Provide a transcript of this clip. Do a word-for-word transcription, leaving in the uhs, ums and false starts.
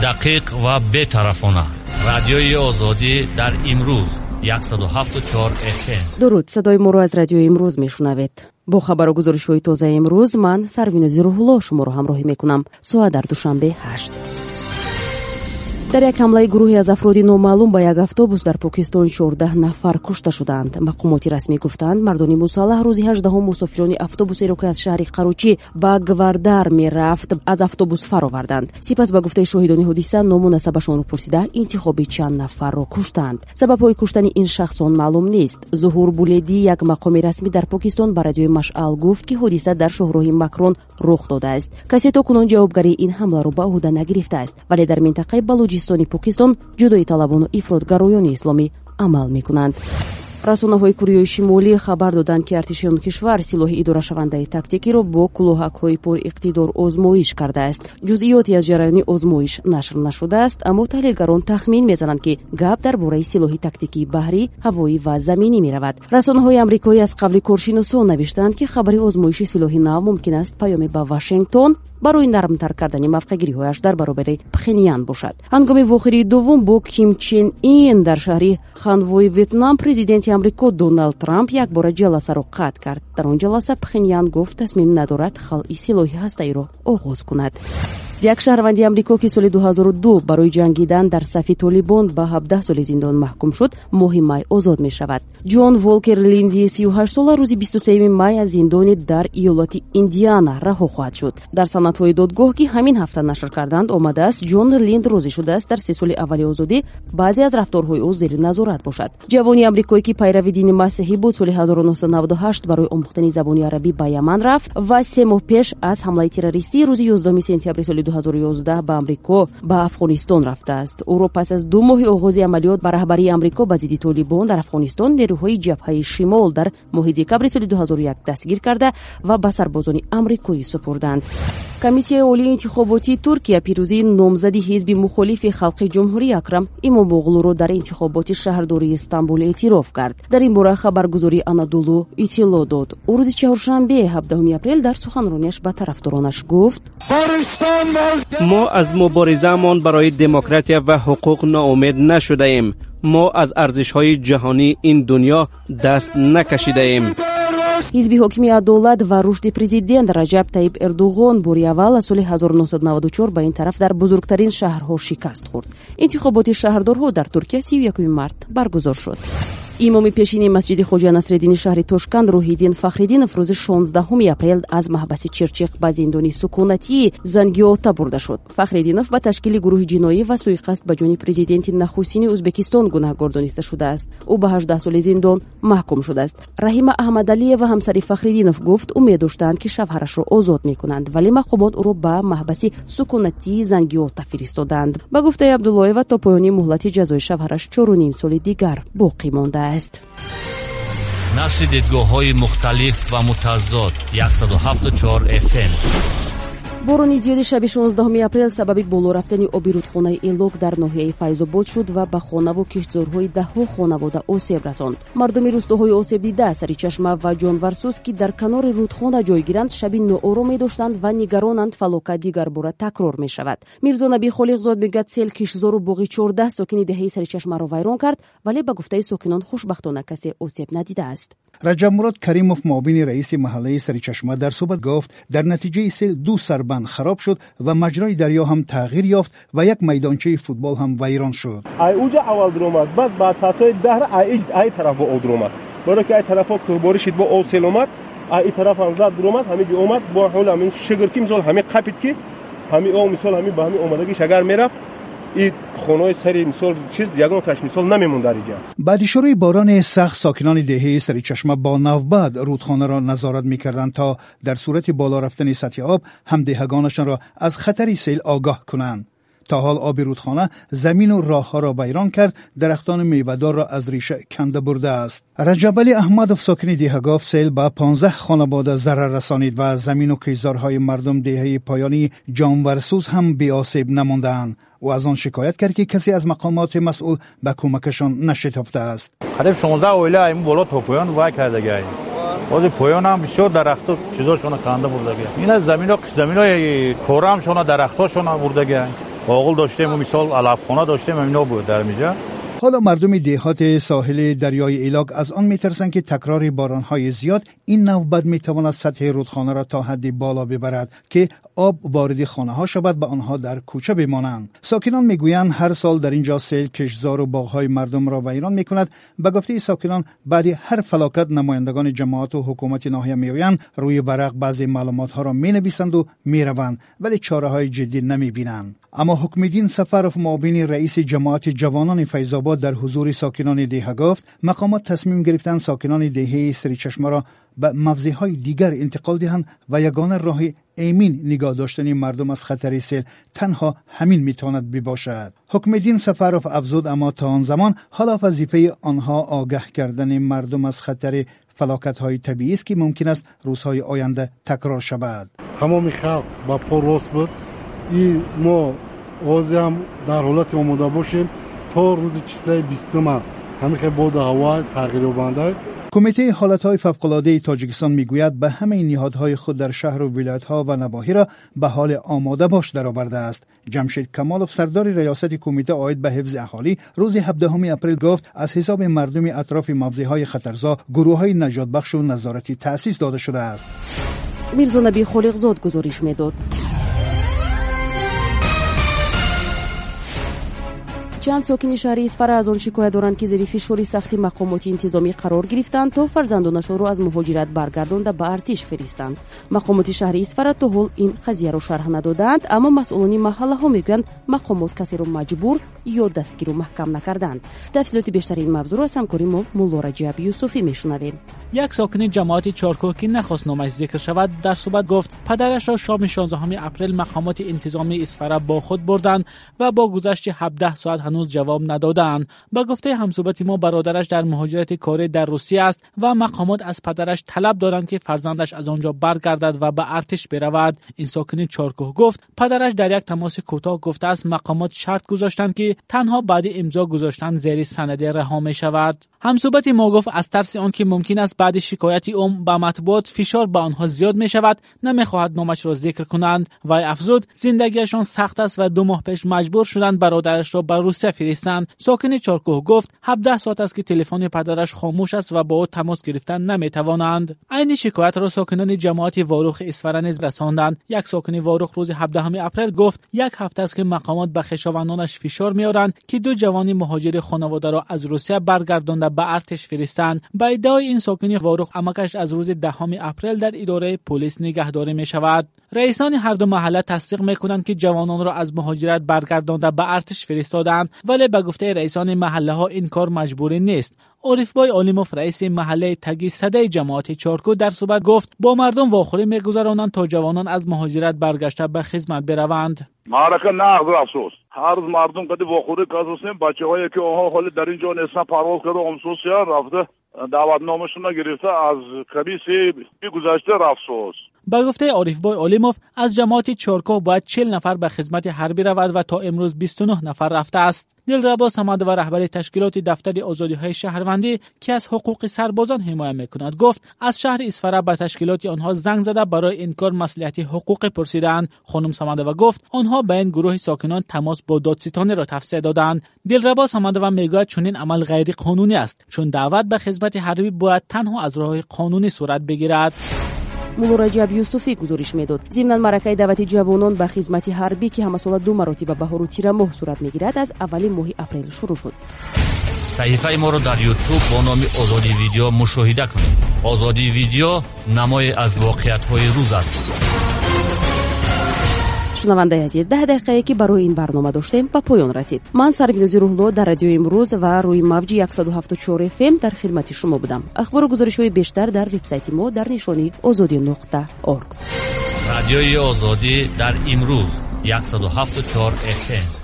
Дақиқ ва бетарафона. Радиои Озодӣ дар имрӯз яксаду ҳафту чор эф эм. Дуруд, садои моро аз радиои имрӯз мешунавед. Бо хабару гузоришҳои тозаи имрӯз ман Сарвинози Рӯҳулло шуморо ҳамроҳӣ мекунам. Соат дар Душанбе ҳашт. Дар як ҳамлаи гурӯҳе аз афроди номаълум ба як автобус дар Покистон чордаҳ нафар кушта шуданд. Мақомоти расмӣ гуфтанд, мардони мусаллаҳ рӯзи ҳаждаҳум мусофирони автобусеро, ки аз шаҳри Қарочӣ ба Гвардар мерафт, аз автобус фароварданд. Сипас ба гуфтаи шоҳидони ҳодиса ному насабашонро пурсида интихоби чанд нафарро куштанд. Сабабҳои куштани ин шахсон маълум нест. Зуҳур Буледӣ, як мақоми расмӣ дар Покистон, ба радиои Машъал гуфт, ки ҳодиса дар шоҳроҳи Макрон рух додааст. Касе то кунун ҷавобгарии ин ҳамларо ба ӯҳда нагирифтааст, вале дар минтақаи Балуҷистони Покистон ҷудои талабону ифротгароёни исломӣ амал мекунанд. Расонаҳои Кореяи Шимолӣ хабар доданд, ки артиши он кишвар силоҳи идорашавандаи тактикиро бо кулоҳакҳои пуриқтидор озмоиш кардааст. Ҷузъиёте аз ҷараёни озмоиш нашр нашудааст, аммо таҳлилгарон тахмин мезананд, ки гап дар бораи силоҳи тактикии баҳрӣ, ҳавоӣ ва заминӣ меравад. Расонаҳои амрикоӣ аз қавли коршиносон навиштанд, ки хабари озмоиши силоҳи нав мумкин аст паёме ба Вашингтон барои нармтар кардани мавқеъгириҳояш дар баробари Пхенян бошад. Ҳангоми вохӯрии дуввум бо Ким Чен Ин дар шаҳри Ханвои Ветнам президенти Амрико Доналд Трамп якбора ҷаласаро қатъ кард. Дар он ҷаласа Пхенян гуфт, тасмим надорад халъи силоҳи ҳастаиро оғоз кунад. Як шаҳрванди Амрико, ки соли дуҳазору ду барои ҷангидан дар сафи Толибон ба ҳабдаҳ соли зиндон маҳкум шуд, моҳи май озод мешавад. Ҷон Волкер Линди сию ҳашт сола рӯзи бисту сеюми май аз зиндони дар иёлати Индиана раҳо хоҳад шуд. Дар санадҳои додгоҳ, ки ҳамин ҳафта нашр карданд, омадааст, Ҷон Линд розӣ шудааст дар се соли аввали озодӣ баъзе аз рафторҳои ӯ зери назорат бошад. Ҷавони амрикоӣ, ки пайрави дини масеҳӣ буд, соли ҳазору нӯҳсаду наваду ҳашт барои омӯхтани забони арабӣ ба Яман рафт ва се моҳ пеш аз ҳамлаи террористӣ рӯзи ёздаҳуми сентябри соли дуҳазору ёздаҳ ба Амрико ба Афғонистон рафтааст. Ӯро пас аз ду моҳи оғози амалиёт ба раҳбарии Амрико ба зидди Толибон дар Афғонистон нерӯҳои ҷабҳаи шимол дар моҳи декабри соли дуҳазору як дастгир карда ва ба сарбозони амрикоӣ супурданд. Комиссияи олии интихоботии Туркия пирӯзии номзади ҳизби мухолифи халқи ҷумҳурӣ Акрам Имомоғлуро дар интихоботи шаҳрдории Истанбул эътироф кард. Дар ин бора хабаргузории Анадолу иттилоъ дод. Ӯ рӯзи чаҳоршанбе ҳабдаҳуми апрел дар суханронияш ба тарафдоронаш гуфт: мо аз муборизаамон барои демократия ва ҳуқуқ ноумед нашудаем. Мо аз арзишҳои ҷаҳонии ин дунё даст накашидаем. Ҳизби ҳокими адолат ва рушди президент Раҷаб Таиб Эрдуғон бори аввал аз соли ҳазору нӯҳсаду наваду чор ба ин тараф дар бузургтарин шаҳрҳо шикаст хӯрд. Интихоботи шаҳрдорҳо дар Туркия сию якуми март баргузор шуд. Имоми пешини масҷиди Хоҷа Насреддини шаҳри Тошканд Рӯҳиддин Фахриддинов рӯзи шонздаҳуми апрел аз маҳбаси Чирчиқ ба зиндони сукунатии Зангиота бурда шуд. Фахриддинов ба ташкили гурӯҳи ҷиноӣ ва суиқасд ба ҷони президенти нахустини Ӯзбекистон гунаҳгор дониста шудааст. Ӯ ба ҳаждаҳ соли зиндон маҳкум шудааст. Раҳима Аҳмадалиева, ҳамсари Фахриддинов, гуфт, умед доштанд, ки шавҳарашро озод мекунанд, вале мақомот ӯро ба маҳбаси сукунатии Зангиота фиристоданд. Ба гуфтаи Абдуллоева, то поёни муҳлати ҷазои шавҳараш чору ним соли дигар боқӣ мондааст. Нашри дидгоҳҳои мухталиф ва мутазод яксаду ҳафту чор эф эм. Борони зиёди шаби шонздаҳуми апрел сабаби боло рафтани оби рудхонаи Элок дар ноҳияи Файзобод шуд ва ба хонаву киштзорҳои даҳҳо хонавода осеб расонд. Мардуми рӯстоҳои осебдида, Саричашма ва Ҷонварсӯз, ки дар канори рудхона ҷойгиранд, шаби ноороме доштанд ва нигаронанд фалокат дигарбора такрор мешавад. Мирзонаби Холиқзод мегӯяд, сел киштзору боғи чордаҳ сокини деҳаи Саричашмаро вайрон кард, вале ба гуфтаи сокинон хушбахтона касе осеб надидааст. Раҷабмурод Каримов, муовини раиси маҳаллаи Саричашма, дар суҳбат гуфт, дар натиҷаи сел ду сарбанд хароб шуд ва маҷрои дарё ҳам тағйир ёфт ва як майдончаи футбол ҳам вайрон шуд. Ай уҷа аввал дуромад, баъд ба саатҳои даҳ ай ай тараф бо об дуромад. Барои ки ай тарафҳо кӯҳборӣ шид, бо об сел омад, ай и тараф ҳам зад дуромад, ҳамин ҷо омад, бо ҳол ҳамин шигр ки мисол ҳамин қапид, ки ҳамин об мисол ҳамин ба ҳамин омадагиш агар мерафт, и хонаҳои сари мисол чиз ягон таш мисол намемонд дар инҷа. Баъди шурӯи борони сахт сокинони деҳаи Саричашма бо навбат рудхонаро назорат мекарданд, то дар сурати боло рафтани сатҳи об ҳамдеҳагонашонро аз хатари сел огоҳ кунанд. То ҳол оби рудхона замину роҳҳоро вайрон кард, дарахтони мевадорро аз реша канда бурдааст. Раҷабалӣ Аҳмадов, сокини деҳа, гуфт, сел ба понздаҳ хонавода зарар расонид ва замину киштзорҳои мардум деҳаи поёнии Ҷонварсӯз ҳам беосеб намондаанд. Ӯ аз он шикоят кард, ки касе аз мақомоти масъул ба кӯмакашон нашитофтааст. Қариб шонздаҳ оила ин боло то поён вай кардагиай. Ҳозир поёнам бисёр дарахту чизошона канда бурдагиай. Ина замино заминои корамшона дарахтошона бурдагиай. Оғил доштем, мисол алафхона доштем, ҳамино буд дар инҷо. ҳоло мардуми деҳоти соҳили дарёи Илок аз он метарсанд, ки такрори боронҳои зиёд ин навбат метавонад сатҳи рудхонаро то ҳадди боло бибарад, ки об вориди хонаҳо шавад ва онҳо дар кӯча бимонанд. Сокинон мегӯянд, ҳар сол дар инҷо сел киштзору боғҳои мардумро вайрон мекунад. Ба гуфтаи сокинон, баъди ҳар фалокат намояндагони ҷамоату ҳукумати ноҳия меоянд, рӯи варақ баъзе маълумотҳоро менависанду мераванд, вале чораҳои ҷиддӣ намебинанд. Аммо Ҳукмиддин Сафаров, муовини раиси ҷамоати ҷавонони Файзобод, дар ҳузури сокинони деҳа гуфт, мақомот тасмим гирифтанд сокинони деҳаи Саричашмаро ба мавзеъҳои дигар интиқол диҳанд ва ягона роҳи эмин нигоҳ доштани мардум аз хатари сел танҳо ҳамин метавонад бибошад. Ҳукмиддин Сафаров афзуд, аммо то он замон ҳоло вазифаи онҳо огаҳ кардани мардум аз хатари фалокатҳои табиӣ аст, ки мумкин аст рӯзҳои оянда такрор шавад. Тамоми халқ ба по рост буд. И мо ҳозир дар ҳолати омода бошем то рӯзи числаи бистума ҳамин боду ҳаво тағйирёбанда. Кумитаи ҳолатҳои фавқулодаи Тоҷикистон мегӯяд, ба ҳамаи ниҳодҳои худ дар шаҳру вилоятҳо ва навоҳиро ба ҳоли омода бош даровардааст. Ҷамшед Камолов, сардори риёсати кумита оид ба ҳифзи аҳолӣ, рӯзи ҳабдаҳуми апрел гуфт, аз ҳисоби мардуми атрофи мавзеъҳои хатарзо гурӯҳҳои наҷотбахшу назоратӣ таъсис дода шудааст. Мирзонаби Холиқзод гузориш медод. Чанд сокини шаҳри Исфара аз он шикоят доранд, ки зери фишори сахти мақомоти интизомӣ қарор гирифтанд, то фарзандонашонро аз муҳоҷират баргардонда ба артиш фиристанд. Мақомоти шаҳри Исфара то ҳол ин қазияро шарҳ надодаанд, аммо масъулони маҳаллаҳо мегӯянд, мақомот касеро маҷбур ё дастгиру маҳкам накарданд. Тафсилоти бештари ин мавзӯъро аз ҳамкори мо Мулло Раҷаб Юсуфӣ мешунавем. Як сокини ҷамоати Чоркӯҳ, ки нахост номаш зикр шавад, дар суҳбат гуфт, падарашро шоми шонздаҳуми апрел мақомоти интизомии Исфара бо худ бурданд ва бо гузашти ҳабдаҳ соат ҳанӯз ҷавоб надодаанд. Ба гуфтаи ҳамсуҳбати мо, бародараш дар муҳоҷирати корӣ дар Русия аст ва мақомот аз падараш талаб доранд, ки фарзандаш аз он ҷо баргардад ва ба артиш биравад. Ин сокини Чоркӯҳ гуфт, падараш дар як тамоси кӯтоҳ гуфтааст, мақомот шарт гузоштанд, ки танҳо баъди имзо гузоштан зери санаде раҳо мешавад. Ҳамсуҳбати мо гуфт, аз тарси он ки мумкин аст баъди шикояти ӯ ба матбуот фишор ба онҳо зиёд мешавад, намехоҳад номашро зикр кунанд. Вай афзуд, зиндагиашон сахт аст ва ду моҳ пеш маҷбур шуданд бародарашро ба Русия фиристанд. Сокини Чоркӯҳ гуфт, ҳабдаҳ соат аст, ки телефони падараш хомӯш аст ва бо ӯ тамос гирифтан наметавонанд. Айни шикоятро сокинони ҷамоати Ворух Исфара низ расонданд. Як сокини Ворух рӯзи ҳабдаҳуми апрел гуфт, як ҳафта аст, ки мақомот ба хешовандонаш фишор меоранд, ки ду ҷавони муҳоҷири хонаводаро аз Русия баргардонда ба артиш фиристанд. Ба иддаои ин сокини Ворух, амакаш аз рӯзи даҳуми апрел дар идораи полис нигаҳдорӣ мешавад. Раисони ҳар ду маҳалла тасдиқ мекунанд, ки ҷавононро аз муҳоҷират баргардонда ба артиш фиристодаанд, вале ба гуфтаи раисони маҳаллаҳо ин кор маҷбурӣ нест. Орифбой Олимов, раиси маҳаллаи Таги Садаи ҷамоати Чоркӯ, дар суҳбат гуфт, бо мардум вохӯрӣ мегузаронанд, то ҷавонон аз муҳоҷират баргашта ба хизмат бираванд. Маърака нағз афсӯс. Ҳар рӯз мардум қади вохӯрӣ казусем, бачаҳое ки онҳо ҳоли дар ин ҷо нестанд, парвоз карда омсусия рафта даъватномашонро гирифта аз комиссияи гузашта рафсӯс. Ба гуфтаи Орифбой Олимов, аз ҷамоати Чоркӯҳ бояд чил нафар ба хизмати ҳарбӣ равад ва то имрӯз бисту нӯҳ нафар рафтааст. Дилрабо Самадова, раҳбари ташкилоти дафтари озодиҳои шаҳрвандӣ, ки аз ҳуқуқи сарбозон ҳимоя мекунад, гуфт, аз шаҳри Исфара ба ташкилоти онҳо занг зада барои ин кор маслиҳати ҳуқуқӣ пурсидаанд. Хонум Самадова гуфт, онҳо ба ин гурӯҳи сокинон тамос бо додситониро тавсия доданд. Дилрабо Самадова мегӯяд, чунин амал ғайриқонунӣ аст, чун даъват ба хизмати ҳарбӣ бояд танҳо аз роҳи қонунӣ сурат бигирад. Мулло Раҷаб Юсуфӣ гузориш медод. Зимнан маъракаи даъвати ҷавонон ба хизмати ҳарбӣ, ки ҳамасола ду маротиба баҳору тирамоҳ сурат мегирад, аз аввали моҳи апрел шурӯъ шуд. Саҳифаи моро дар Ютуб бо номи Озодӣ Видео мушоҳида кунед. Озодӣ Видео намое аз воқеиятҳои рӯз аст. Шунавандаи азиз, даҳ дақиқае, ки барои ин барнома доштем, ба поён расид. Ман Сарвинози Рӯҳло дар радиои имрӯз ва рӯи мавҷи яксаду ҳафтоду чор эф эм дар хидмати шумо будам. Ахбору гузоришҳои бештар дар вебсайти мо дар нишони озодӣ нуқта орг. Радиои Озодӣ дар имрӯз яксаду ҳафтоду чор эф эм.